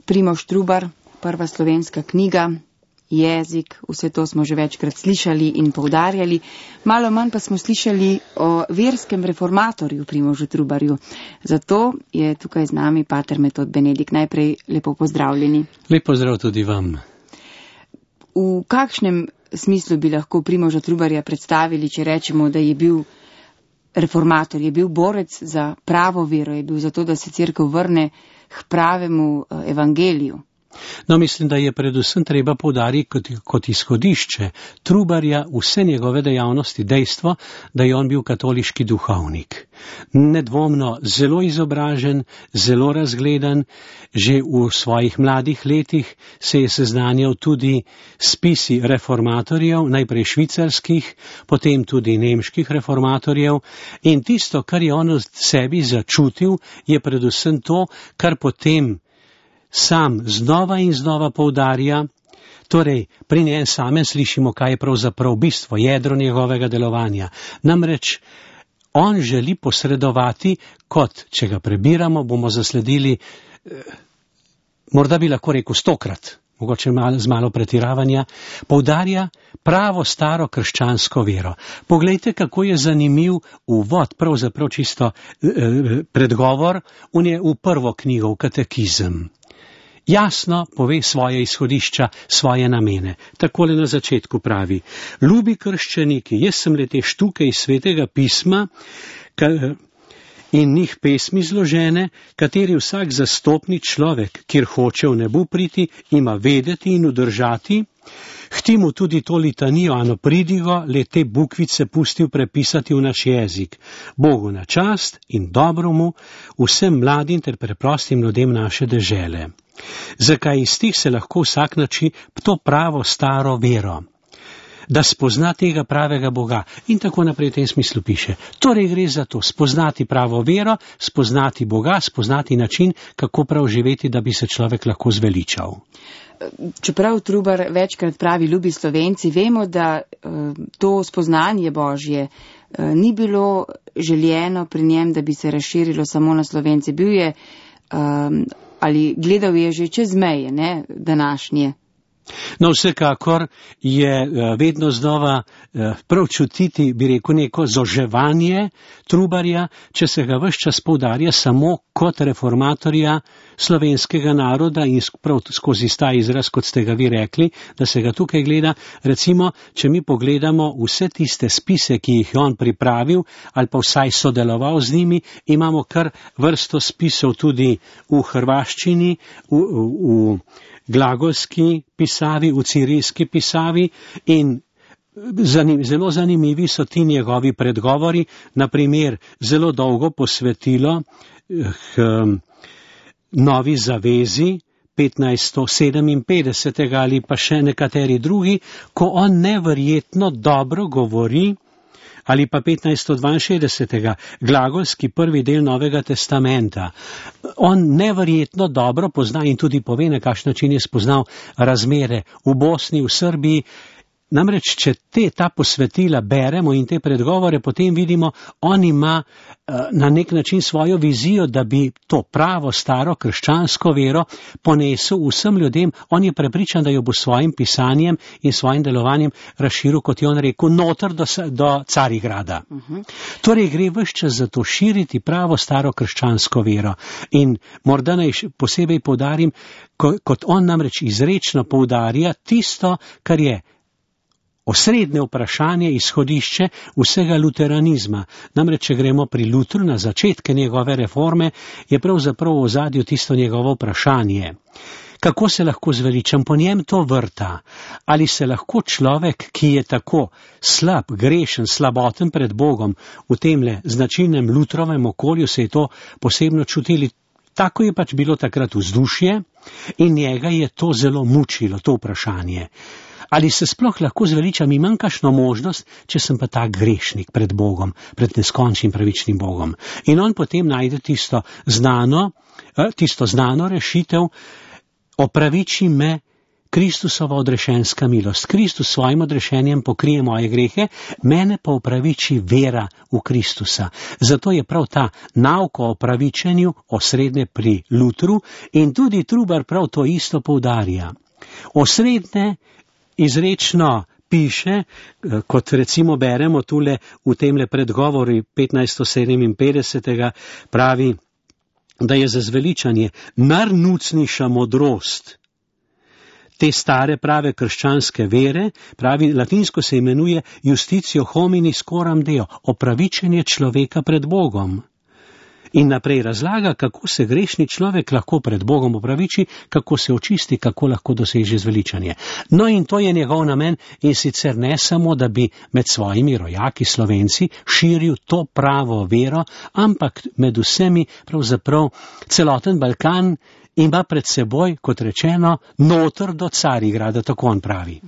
Primož Trubar, prva slovenska knjiga, jezik, vse to smo že večkrat slišali in poudarjali. Malo manj pa smo slišali o verskem reformatorju Primožu Trubarju. Zato je tukaj z nami pater Metod Benedik. Najprej lepo pozdravljeni. Lep pozdrav tudi vam. V kakšnem smislu bi lahko Primoža Trubarja predstavili, če rečemo, da je bil reformator, je bil borec za pravo vero, je bil za to, da se cerkev vrne k pravemu evangeliju? No, mislim, da je predvsem treba poudariti kot izhodišče Trubarja vse njegove dejavnosti dejstvo, da je on bil katoliški duhovnik. Nedvomno zelo izobražen, zelo razgledan, že v svojih mladih letih se je seznanjal tudi s spisi reformatorjev, najprej švicarskih, potem tudi nemških reformatorjev, in tisto, kar je on v sebi začutil, je predvsem to, kar potem sam znova in znova poudarja, torej pri njem samem slišimo, kaj je pravzaprav bistvo, jedro njegovega delovanja. Namreč on želi posredovati, kot če ga prebiramo, bomo zasledili, morda bi lahko rekel 100-krat, mogoče z malo pretiravanja, poudarja pravo staro krščansko vero. Poglejte, kako je zanimiv uvod, pravzaprav čisto predgovor v prvo knjigo, v katekizem. Jasno pove svoje izhodišča, svoje namene. Takole na začetku pravi: ljubi krščaniki, jaz sem le te štuke iz svetega pisma in njih pesmi zložene, kateri vsak zastopni človek, kjer hoče v nebu priti, ima vedeti in udržati, htimo tudi to litanijo, ano pridigo, le te bukvice pustil prepisati v naš jezik. Bogu na čast in dobromu, vsem mladim ter preprostim ljudem naše dežele. Zakaj iz tih se lahko vsak nači to pravo staro vero, da spozna tega pravega Boga, in tako naprej v tem smislu piše. Torej gre za to, spoznati pravo vero, spoznati Boga, spoznati način, kako prav živeti, da bi se človek lahko zveličal. Čeprav Trubar večkrat pravi ljubi Slovenci, vemo, da to spoznanje Božje ni bilo željeno pri njem, da bi se razširilo samo na Slovence. Bil je ali gledal je že čez meje, ne, današnje. No, vsekakor je vedno znova prav čutiti, bi rekel, neko zoževanje Trubarja, če se ga ves čas poudarja samo kot reformatorja slovenskega naroda in prav skozi ta izraz, kot ste ga vi rekli, da se ga tukaj gleda. Recimo, če mi pogledamo vse tiste spise, ki jih je on pripravil ali pa vsaj sodeloval z njimi, imamo kar vrsto spisov tudi v hrvaščini, v glagolski pisavi, v cirilski pisavi, in zelo zanimivi so ti njegovi predgovori, naprimer zelo dolgo posvetilo Novi zavezi 1557 ali pa še nekateri drugi, ko on neverjetno dobro govori, ali pa 1562. glagolski prvi del Novega testamenta. On neverjetno dobro pozna in tudi pove, na kakšen način je spoznal razmere v Bosni, v Srbiji. Namreč, če ta posvetila beremo in te predgovore, potem vidimo, on ima na nek način svojo vizijo, da bi to pravo, staro, krščansko vero ponesel vsem ljudem. On je prepričan, da jo bo svojim pisanjem in svojim delovanjem razširil, kot je on rekel, noter do Carigrada. Torej gre ves čas za to širiti pravo, staro, krščansko vero. In morda naj posebej poudarim, kot on namreč izrečno poudarja tisto, kar je osrednje vprašanje, izhodišče vsega luteranizma. Namreč, če gremo pri Lutru na začetke njegove reforme, je pravzaprav v ozadju tisto njegovo vprašanje. Kako se lahko zveličam? Po njem to vrta. Ali se lahko človek, ki je tako slab, grešen, slaboten pred Bogom, v temle značilnem Lutrovem okolju se je to posebno čutili. Tako je pač bilo takrat vzdušje in njega je to zelo mučilo, to vprašanje. Ali se sploh lahko zveličam, imam kakšno možnost, če sem pa tak grešnik pred Bogom, pred neskončnim pravičnim Bogom. In on potem najde tisto znano rešitev, opraviči me Kristusova odrešenska milost. Kristus svojim odrešenjem pokrije moje grehe, mene pa upraviči vera v Kristusa. Zato je prav ta nauka o opravičenju osrednje pri Lutru in tudi Trubar prav to isto poudarja. Osrednje izrečno piše, kot recimo beremo tule v temle predgovori 1557. pravi, da je za zveličanje najnucnejša modrost te stare prave krščanske vere, pravi, latinsko se imenuje justitio hominis coram deo, opravičenje človeka pred Bogom. In naprej razlaga, kako se grešni človek lahko pred Bogom opraviči, kako se očisti, kako lahko doseže zveličanje. No in to je njegov namen, in sicer ne samo, da bi med svojimi rojaki Slovenci širil to pravo vero, ampak med vsemi pravzaprav celoten Balkan ima pred seboj, kot rečeno, noter do Carigrada, tako on pravi.